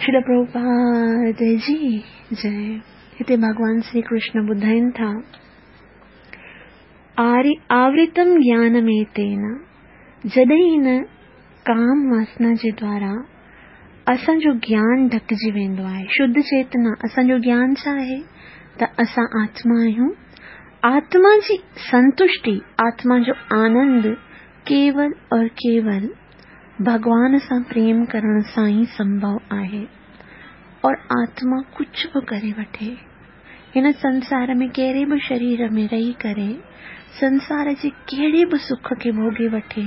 شريل پرڀوپاد جي جئه. هتي ڀڳوان شري ڪرشن ٻڌائين ٿا، آورتم گيانميتين، جڏهن هن ڪام واسنا جي دوارا اسان جو گيان ڍڪجي ويندو آهي. شڌ چيتنا، اسان جو گيان ڇا آهي؟ ته اسان آتما آهيون. آتما جي سنتشٽي، آتما جو آنند ڪيول اور ڪيول ڀڳوان سان پريم ڪرڻ سان ئي سنڀو آهي. اور آتما ڪجهه به ڪري وٺي، هن سنسار ۾ ڪهڙي به شرير ۾ رهي ڪري سنسار جي ڪهڙي به سک کي ڀوڳي وٺي،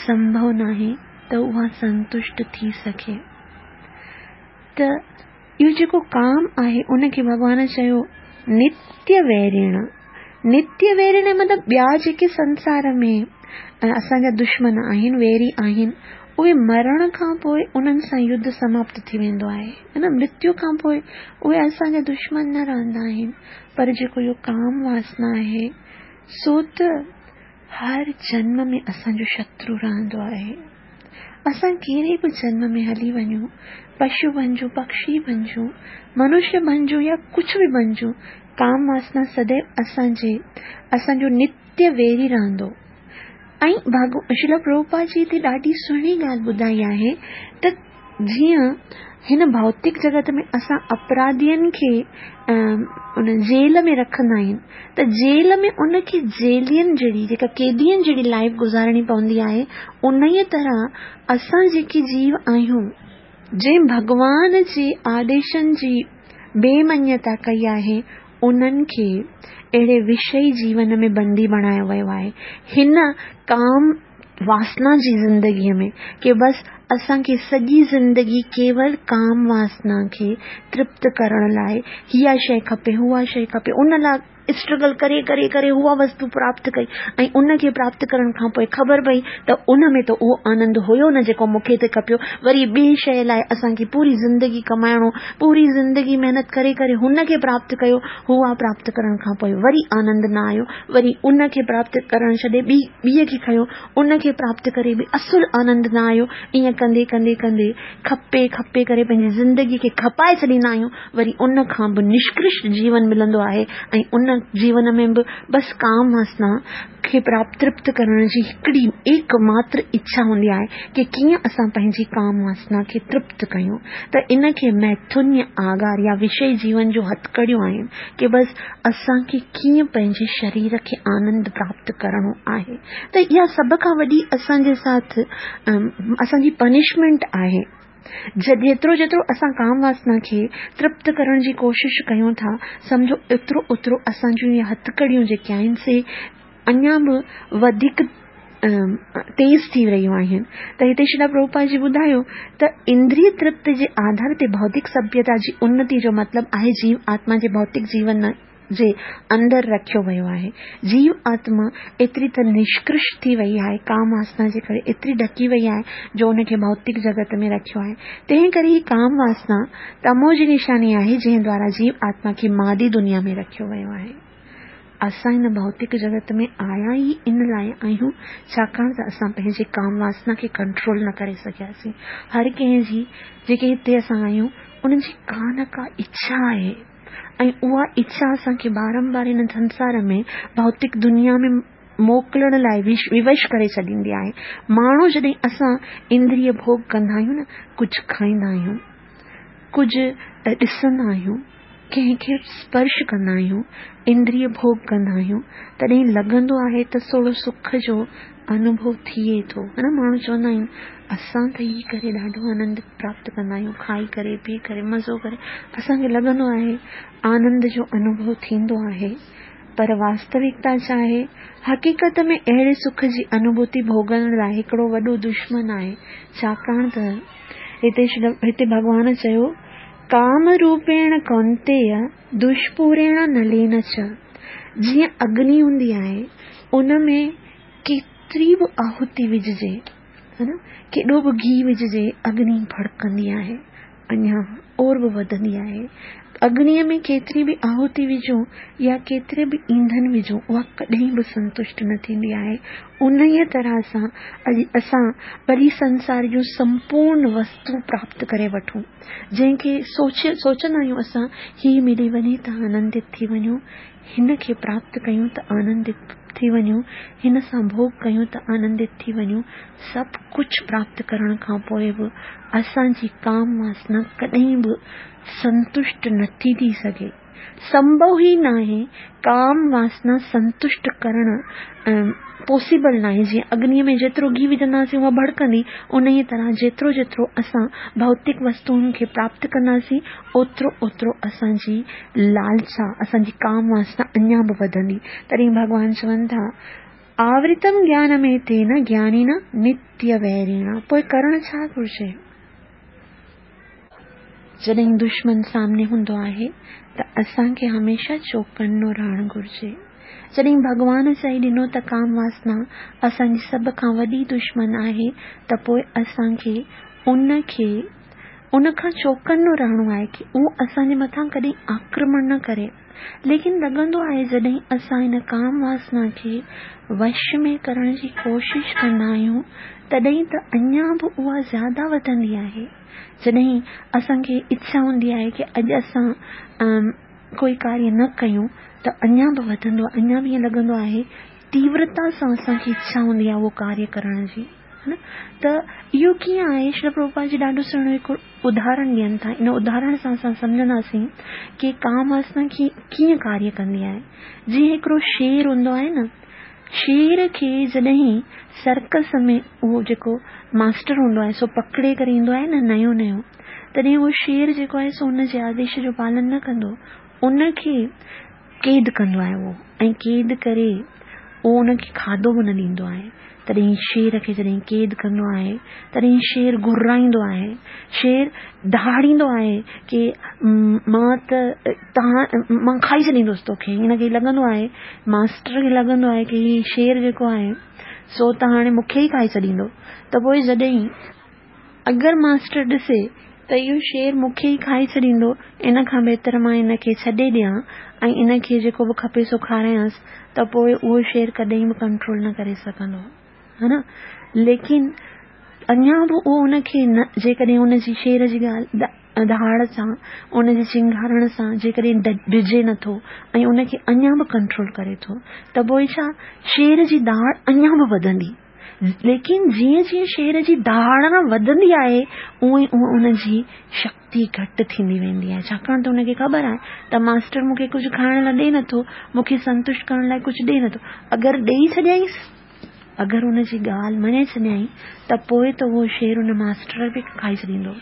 سنڀو ناهي ته اها سنتشٽ ٿي سگهي. ته اهو جيڪو ڪام آهي ان کي ڀڳوان چيو نتيه ويرڻ. نتيه ويرڻ مطلب ٻيا جيڪي سنسار ۾ اسان جا دشمن آهن، ويري آهن، اهي مرڻ کان پوء انهن سان يڌ سماپت ٿي ويندو آهي. نه مرتيو کان پوء اهي اسان جا دشمن نه رهندا آهن، پر جيڪو اهو ڪام واسنا آهي سو ته هر جنم ۾ اسان جو شترو رهندو آهي. اسان ڪهڙي به جنم ۾ هلي وڃون، پشو بنجون، پکشي بنجون، منشيه بنجون يا ڪجهه به بنجون، ڪام واسنا سديو اسان جي اسان جو نتيه ويري رهندو. ۽ شريلا پرڀوپاد جي هتي ڏاڍي سهڻي ڳالهه ٻڌائي آهي ته جيئن هن ڀوتڪ جڳت ۾ اسان اپراڌين کي ان جيل ۾ رکندا آهيون ته جيل ۾ ان کي جيلين جهڙي جيڪا قيدين جهڙي لائيف گذارڻي پوندي آهي انهيء طرح اسان جيڪي جيو آهيون جنهن ڀڳوان جي آديشن جي بي مڃتا ڪئي آهي انهن کي اهڙي وشئي جيون ۾ بندي بڻايو ويو آهي هن ڪام واسنا جي زندگيء ۾ ڪي بس اسان کي سڄي زندگي ڪيول ڪام واسنا کي ترپت ڪرڻ لاء اها شيء کپي اها شيء کپي ان لاء اسٽرگل ڪري ڪري ڪري اها وستو پراپت ڪئي ۽ ان کي پراپت ڪرڻ کان پوء خبر پئي ته ان ۾ ته اهو آنند هيو نه جيڪو مون کي ٿي کپيو وري ٻي شيء لاء اسان کي پوري زندگي ڪمائڻو پوري زندگي محنت ڪري ڪري هن کي پراپت ڪيو اها پراپت ڪرڻ کان پوء وري آنند نه آيو وري ان کي پراپت ڪرڻ ڇڏي ٻي ٻيء کي کنيو، ان کي پراپت ڪري به اصل آنند نه آيو، ائين ڪندي ڪندي ڪندي کپي کپي ڪري پنهنجي زندگيء کي کپائي ڇڏيندا آهيون، وري ان کان به نشڪرشٽ جيون ملندو آهي ۽ ان جيون ۾ به بس ڪام واسنا کي پراپت ترپت ڪرڻ جي هڪڙي ايڪ ماتر اڇا هوندي آهي ڪي ڪيئن اسان پنهنجي ڪام واسنا کي ترپت ڪيون ته ان کي ميٿنيه آگار يا وشئي جيون جو هٿڪڙيون آهن ڪي بس اسان کي ڪيئن پنهنجي شرير کي آنند پراپت ڪرڻو آهي ته اها سڀ کان وڏي اسان جي ساٿ اسان جي پنشمينٽ آهي. جيترو جيترو اسان ڪام واسنا کي ترپت ڪرڻ جي ڪوشش ڪيون ٿا سمجهو اوترو اوترو اسان جون اهي هٿڪڙيون جيڪي آهن سي اڃا به وڌيڪ تيز ٿي رهيون آهن. ته هتي شريلا پرڀوپاد جي ٻڌايو ته اندريه ترپت جي آڌار تي ڀوتڪ سڀيتا جي انتي جو مطلب آهي جيو آتما جي ڀوتڪ جيون جي اندر رکيو ويو آهي. جيو آتما ايتري ته نشڪرش ٿي وئي آهي، ڪام واسنا جي ڪري ايتري ڍڪي وئي آهي جو ان کي ڀوتڪ جڳت ۾ رکيو آهي. تنهن ڪري هي ڪام واسنا تمو جي نشاني آهي جنهن دوارا جيو آتما کي مادي دنيا ۾ رکيو ويو آهي. اسان هن ڀوتڪ جڳت ۾ آيا ئي ان لاء آهيون ڇاڪاڻ ته اسان پنهنجي ڪام واسنا کي ڪنٽرول نه ڪري سگهياسين. هر ڪنهن جي جيڪي هتي اسان آهيون انهن جي ڪا نه ڪا اڇا آهي ۽ اها اڇا اسان کي بارنبار هن سنسار ۾ ڀوتڪ دنيا ۾ موڪلڻ لاء ووش ڪري ڇڏيندي آهي. ماڻهو جڏهن اسان اندريه ڀوڳ ڪندا آهيون نه ڪجهه کائيندا آهيون، ڪجهه ڏسندا آهيون، ڪنهن کي اسپرش ڪندا آهيون، اندريه ڀوڳ ڪندا آهيون، تڏهن لڳندو آهي ته ٿورو سک جو انوڀو ٿئي ٿو. ها نه ماڻهو چوندا آهن اسان ته هي ڪري ڏاڍو آنند پراپت ڪندا آهيون، کائي ڪري پي ڪري مزو ڪري اسان کي لڳندو آهي آنند جو انوڀو ٿيندو آهي پر واستوڪتا ڇا آهي؟ حقيقت ۾ اهڙي سک جي انوڀوتي ڀوڳڻ لاء هڪڙو وڏو دشمن آهي ڇاڪاڻ ته هتي هتي ڀڳوان چيو ڪام روپيڻ ڪونتيء دشپوريڻ نلين چ جيئن اگني هوندي آهي ان ۾ ڪيتري به آهوتي وجهجي ها نه ڪيڏو به گيهه وجهجي اگني ڀڙڪندي آهي اڃا اور به وڌندي آهي. اگنيء ۾ ڪيتري به آهوتي وجهون يا ڪيتري به اينڌن وجهون اها ڪڏهن به سنتشٽ نه ٿيندي آهي. انهيء طرح سان اڄ اسان ڀلي سنسار جون سمپورن وستون پراپت ڪري وٺون، جنهن کي سوچي سوچندا آهيون اسان هي ملي وڃي ته آنندت ٿي وڃون، هن کي پراپت ڪيون ته آنندت ٿي وڃون، هن سان ڀوڳ ڪيون ته آنندت ٿي وڃون، سڀ ڪجهه پراپت ڪرڻ کان پوء به اسان جي ڪام واسنا ڪڏهن به سنتشٽ نٿي ٿي سگهي. سنڀو ئي ناهي ڪام واسنا سنتشٽ ڪرڻ پاسيبل ناهي جيئن اگنيء ۾ جيترو گيهه وجهنداسين اها ڀڙڪندي انهيء طرح جيترو جيترو اسان ڀوتڪ وستوئن کي پراپت ڪنداسين اوترو اوترو اسان جي لالسا، اسان جي ڪام واسنا اڃا به وڌندي. تڏهن ڀڳوان چون ٿا، آورتم گيانميتين گيانينا نتيه ويريڻا. پوء ڪرڻ ڇا گهرجي؟ جڏهن دشمن سامني هوندو آهي ته اسان کي هميشه چوڪنو رهڻ گهرجي. جڏهن ڀڳوان چئي ڏنو ته ڪام واسنا اسان جي سڀ کان وڏي دشمن آهي ته پوء اسان کي ان کي ان کان چوڪنو رهڻو آهي ڪي اهو اسان جي مٿان ڪڏهن آڪرمڻ نه ڪري. ليڪن لڳندو آهي جڏهن اسان ان ڪام واسنا کي وش ۾ ڪرڻ جي ڪوشش ڪندا آهيون تڏهن ته اڃا به اها زياده وڌندي آهي. جڏهن اسان کي اڇا هوندي آهي ڪي اڄ اسان ڪوئي ڪاريه نه ڪيون ته اڃا به وڌندو آهي اڃا به ائين لڳندو آهي تيورتا سان اسان کي اڇا هوندي آهي اهو ڪاريه ڪرڻ جي. نه ته اهو ڪيئن آهي؟ شريل پرڀوپاد جي ڏاڍو سهڻو هڪ اداهرڻ ڏين ٿا. ان اداهرڻ سان اسان سمجهنداسين ڪي ڪام واسنا ڪيئن ڪاريه ڪندي آهي. جيئن هڪڙو شير هوندو آهي نه، شير کي جڏهن سرڪس ۾ اهو جيڪو ماسٽر هوندو آهي سو پڪڙي ڪري ايندو آهي نه نيو نيو، تڏهن اهو شير جيڪو آهي سو ان جي آديش جو پالن نه ڪندو، ان کي قيد ڪندو آهي اهو ۽ قيد ڪري اهو ان کي کاڌو به نه ڏيندو آهي تڏهن شير کي جڏهن قيد ڪندو آهي تڏهن شير گهرائيندو آهي شير ڌاڙيندو آهي ڪي مان ته تان مان کائي ڇڏيندس توکي هن کي لڳندو آهي ماسٽر کي لڳندو آهي ڪي هي شير جيڪو آهي سو ته هاڻي مون کي ئي کائي ڇڏيندو ته پوء جڏهن اگر ماسٽر ڏسي ته اهو شير مون کي ئي کائي ڇڏيندو، ان کان بهتر مان ان کي ڇڏي ڏيان ۽ ان کي جيڪو به کپي سو کارايانس ته پوء اهو شير ڪڏهن به ڪنٽرول نه ڪري سگهندو. ها نه؟ ليڪن اڃا به اهو ان کي نه جيڪڏهن ان جي شير جي ڳالهه ڌاڙ سان ان جي چنگهارڻ سان جيڪڏهن ڊڄي نٿو ۽ ان کي اڃا به ڪنٽرول ڪري ٿو ته پوء ڇا شير جي ڌاڙ اڃا به وڌندي. ليڪن جيئن جيئن شير جي ڌاڙڻ وڌندي آهي اونئن اونئن ان جي شڪتي گهٽ ٿيندي ويندي آهي ڇاڪاڻ ته ان کي خبر آهي ته ماسٽر مون کي ڪجهه کائڻ لاء ڏئي نٿو مون کي سنتشٽ ڪرڻ لاء ڪجهه ڏئي نٿو اگر ڏئي ڇڏيائينس اگر ان جي ڳالهه مڃي ڇڏيائين ته پوء ته اهو شير ان ماسٽر کي کائي ڇڏيندو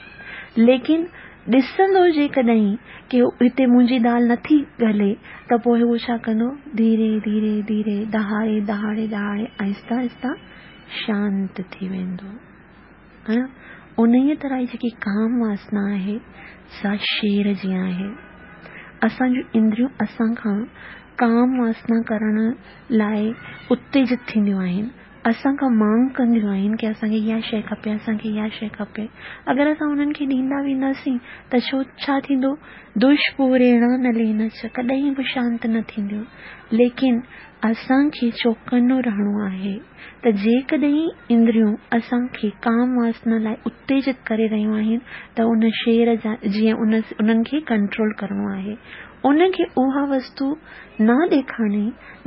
ليڪن ڏسندو جيڪڏهن ڪي هتي منهنجي دال نٿي ڳلي ته پوء هو ڇا ڪندو ڌيري ڌيري ڌيري دهاڙي دهاڙي دهاڙي آهستي آهستي شانت ٿي ويندو. ها نه؟ انهيء طرح هي جيڪي ڪام واسنا آهي، سا شير جيان آهي. اسان جون اندريون اسان کان ڪام واسنا ڪرڻ لاء اتيجت ٿينديون آهن. اسان کان مانگ ڪنديون آهن ڪي اسان کي اها شيء کپي، اسان کي اها شيء کپي. اگر اسان انهن کي ڏيندا وينداسين ته ڇو ڇا ٿيندو؟ دشپوريڻ نلين چ، ڪڏهن به شانت نه ٿينديون. ليڪن اسان کي چوڪنو رهڻو آهي ته جيڪڏهن اندريون اسان کي ڪام واسنا لاء اتيجت ڪري رهيون آهن ته ان شير جا جيئن انهن کي ڪنٽرول ڪرڻو آهي. ان کي اها وستو نه ڏيکارڻي،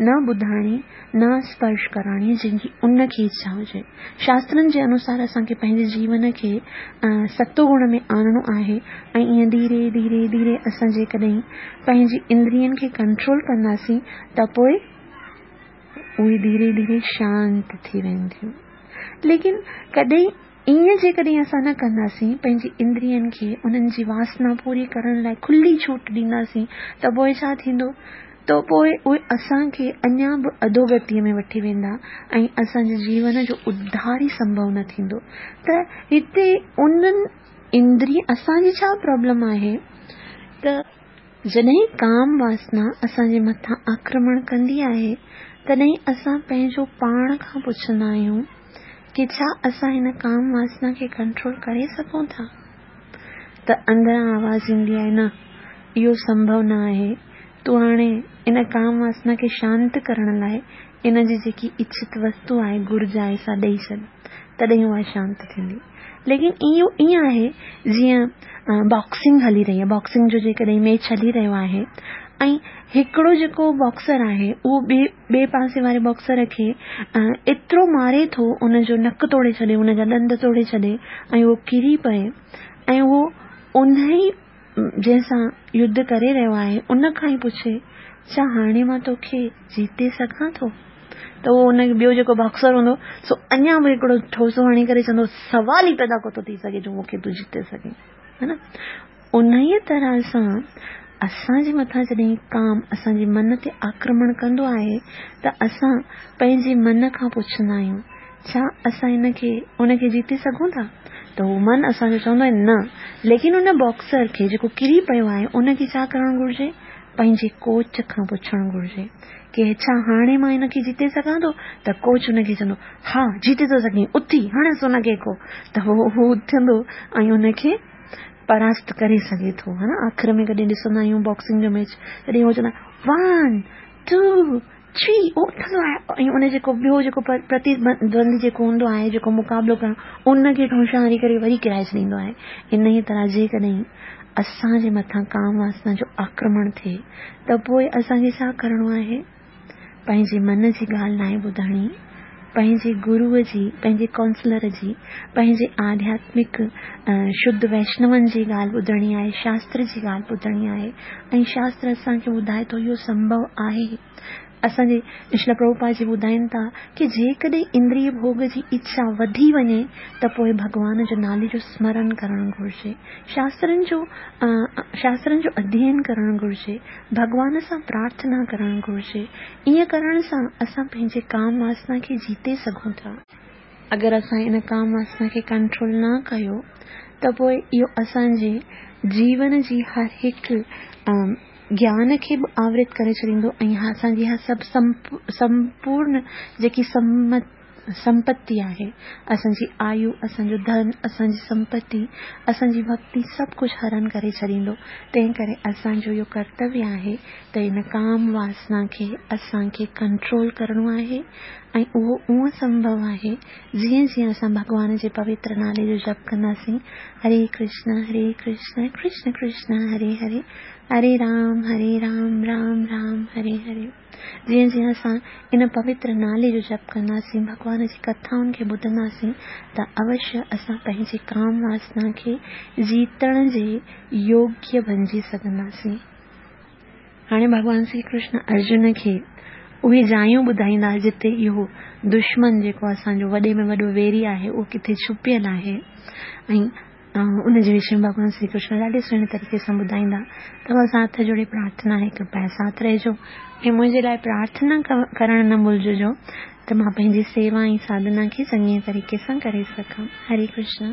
نه ٻڌائڻي، نه اسپرش ڪرائڻي جنهن جي ان کي اڇا هجي. شاسترن جي انوسار اسان کي پنهنجي جيون کي ستو گڻ ۾ آڻڻو آهي ۽ ائين ڌيري ڌيري ڌيري اسان جيڪڏهن پنهنجي اندرين کي ڪنٽرول ڪنداسين ته پوء اهي ڌيري ڌيري شانت ٿي وينديون. ليڪن ڪڏهن ائين جيڪڏهن اسان نه ڪنداسين، پنهنجي اندرين کي انهن جي واسنا پوري ڪرڻ لاء کلي ڇوٽ ڏينداسين ته پوء ڇا ٿيندو؟ ته پوء اهي اسان کي اڃا به اڌوگتيء ۾ وٺي ويندا ۽ اسان جي جيون جو اڌار ئي سنڀو نه ٿيندو. ته هتي انهن اندرين اسان جي ڇا پرابلم آهي ته. جڏهن ڪام واسنا اسان جي مٿان آڪرمڻ ڪندي آهي، تڏهن اسان پنهنجو پاڻ کان پڇندا آهيون ڪي ڇا اسان هن ڪام واسنا کي ڪنٽرول ڪري سگهون ٿا؟ ته اندران آواز ايندي آهي نه، اهو سنڀو نه آهي، تون هاڻي ان ڪام واسنا کي شانت ڪرڻ لاء ان جي جيڪي اڇت وستو آهي، گهرج آهي، سا ڏئي ڇڏ، تڏهن اها شانت ٿيندي. ليڪن اهو ائين آهي جيئن باڪسنگ هلي رهي آهي، باڪسنگ جو جيڪڏهن ميچ هلي رهيو آهي ۽ هڪڙو جيڪو باڪسر آهي اهو ٻئي ٻئي پاسي واري باڪسر کي ايترو ماري ٿو ان جو نڪ توڙي ڇڏي ان جا ڏند توڙي ڇڏي ۽ اهو ڪري پئي ۽ اهو انهي جنهن سان يڌ ڪري رهيو آهي ان کان ئي پڇي، ڇا هاڻي مان توکي جيتي سگهان ٿو؟ ته اهو ان ٻيو جيڪو باڪسر هوندو سو اڃا به هڪڙو ٺوسو هڻي ڪري چوندو سوال ئي پيدا ڪو ٿو ٿي سگهي جو مون کي تون جيتي سگهين ها نه انهيء طرح سان اسان جي مٿان جڏهن ڪام اسان جي من تي آڪرمڻ ڪندو آهي ته اسان پنهنجي من کان پڇندا آهيون ڇا اسان ان کي ان کي جيتي سگهون ٿا؟ ته هو من اسان جو چوندو آهي نه. ليڪن ان باڪسر کي جيڪو ڪري پيو آهي ان کي ڇا ڪرڻ گهرجي؟ پنهنجي ڪوچ کان پڇڻ گهرجي ڪي ڇا هاڻي مان ان کي جيتي سگهان ٿو؟ ته ڪوچ ان کي چوندو ها جيتي ٿو سگهين اٿي هڻس ان کي ڪو ته هو اٿندو ۽ ان کي پراست ڪري سگهي ٿو ها نه آخر ۾ ڪڏهن ڏسندا آهيون باڪسنگ جو ميچ تڏهن هو چوندا ون ٽو ٿري اهو اٿندو آهي ۽ ان جيڪو ٻيو جيڪو پرتيدوندي جيڪو هوندو آهي جيڪو مقابلو ڪرڻ ان کي ٺونشا هڻي ڪري وري ڪيرائي ڇڏيندو آهي انهيء طرح جيڪڏهن اسان جي مٿان ڪام واسنا جو آڪرمڻ ٿئي ته پوء اسان کي ڇا ڪرڻو آهي پنهنجي من جي ڳالهه ناهي ٻڌڻي پنهنجي گروء جي پنهنجي ڪائونسلر جي پنهنجي آڌياتمڪ شڌ ويشنون جي ڳالهه ٻڌڻي آهي شاستر جي ڳالهه ٻڌڻي آهي ۽ شاستر اسان کي ٻڌائي ٿو اهو سنڀو آهي. اسان جي شريلا پرڀوپاد جي ٻڌائين ٿا ڪي جيڪڏهن اندريه ڀوڳ جي اڇا وڌي وڃي ته پوء ڀڳوان جو نالي جو سمرن ڪرڻ گهرجي، شاسترن جو شاسترن جو اڌيين ڪرڻ گهرجي، ڀڳوان سان پرارٿنا ڪرڻ گهرجي. ائين ڪرڻ سان اسان پنهنجي ڪام واسنا کي جيتي سگهون ٿا. اگر اسان ان ڪام واسنا کي ڪنٽرول نه ڪيو ته پوء اهو اسان جي جيون جي هر هڪ گيان کي به آورت ڪري ڇڏيندو ۽ اسان جي اها سڀ سمپورن جيڪي سمپتي آهي، اسان جي آيو، اسان جو ڌن، اسان جي سمپتي، اسان جي ڀڳتي سڀ ڪجهه هرڻ ڪري ڇڏيندو. تنهن ڪري اسان جو اهو ڪرتويه آهي ته ان ڪام واسنا کي اسان کي ڪنٽرول ڪرڻو آهي ۽ اهو اونء سنڀو آهي جيئن جيئن اسان ڀڳوان جي پوتر نالي جو جپ ڪنداسين، هري ڪرشن هري ڪرشن ڪرشن ڪرشن هري هري، هري رام هري رام رام رام هري هري. جيئن جيئن اسان ان پوتر نالي جو جپ ڪنداسين، ڀڳوان جي ڪٿائن کي ٻڌنداسين ته اوشيه اسان پنهنجي ڪام واسنا کي جيتڻ جي يوگيه بنجي سگهنداسين. هاڻي ڀڳوان شري ڪرشن ارجن کي اهي جايون ٻڌائيندا جتي اهو دشمن جيڪو اسان جو وڏي ۾ وڏو ويري آهي اهو ڪٿي ڇپيل آهي ۽ ان جي وشي ۾ ڀڳوان شري ڪرشن ڏاڍي سهڻي طريقي سان ٻڌائيندا. توهان سان هٿ جوڙي پرارٿنا آهي، ڪرپيا ساٿ رهجو ۽ منهنجي لاء پرارٿنا ڪرڻ نه ڀلججو ته مان پنهنجي سيوا ۽ ساڌنا کي چڱي طريقي سان ڪري سگهان. هري ڪرشن.